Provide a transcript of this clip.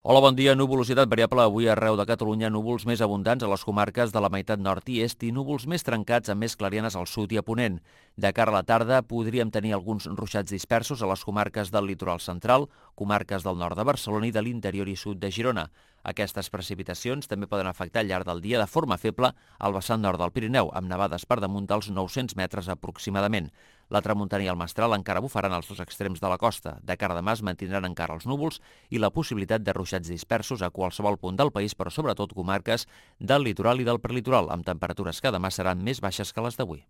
Hola, bon dia. Nuvolositat variable avui arreu de Catalunya, núvols més abundants a les comarques de la meitat nord i est i núvols més trencats amb més clarianes al sud i a ponent. De cara a la tarda podríem tenir alguns ruixats dispersos a les comarques del litoral central, comarques del nord de Barcelona i de l'interior i sud de Girona. Aquestes precipitacions també poden afectar al llarg del dia de forma feble al vessant nord del Pirineu, amb nevades per damunt dels 900 metres aproximadament. La tramuntana i el mestral encara bufaran als dos extrems de la costa. De cara a demà es mantindran encara els núvols i la possibilitat de ruixats dispersos a qualsevol punt del país, però sobretot comarques del litoral i del prelitoral, amb temperatures que demà seran més baixes que les d'avui.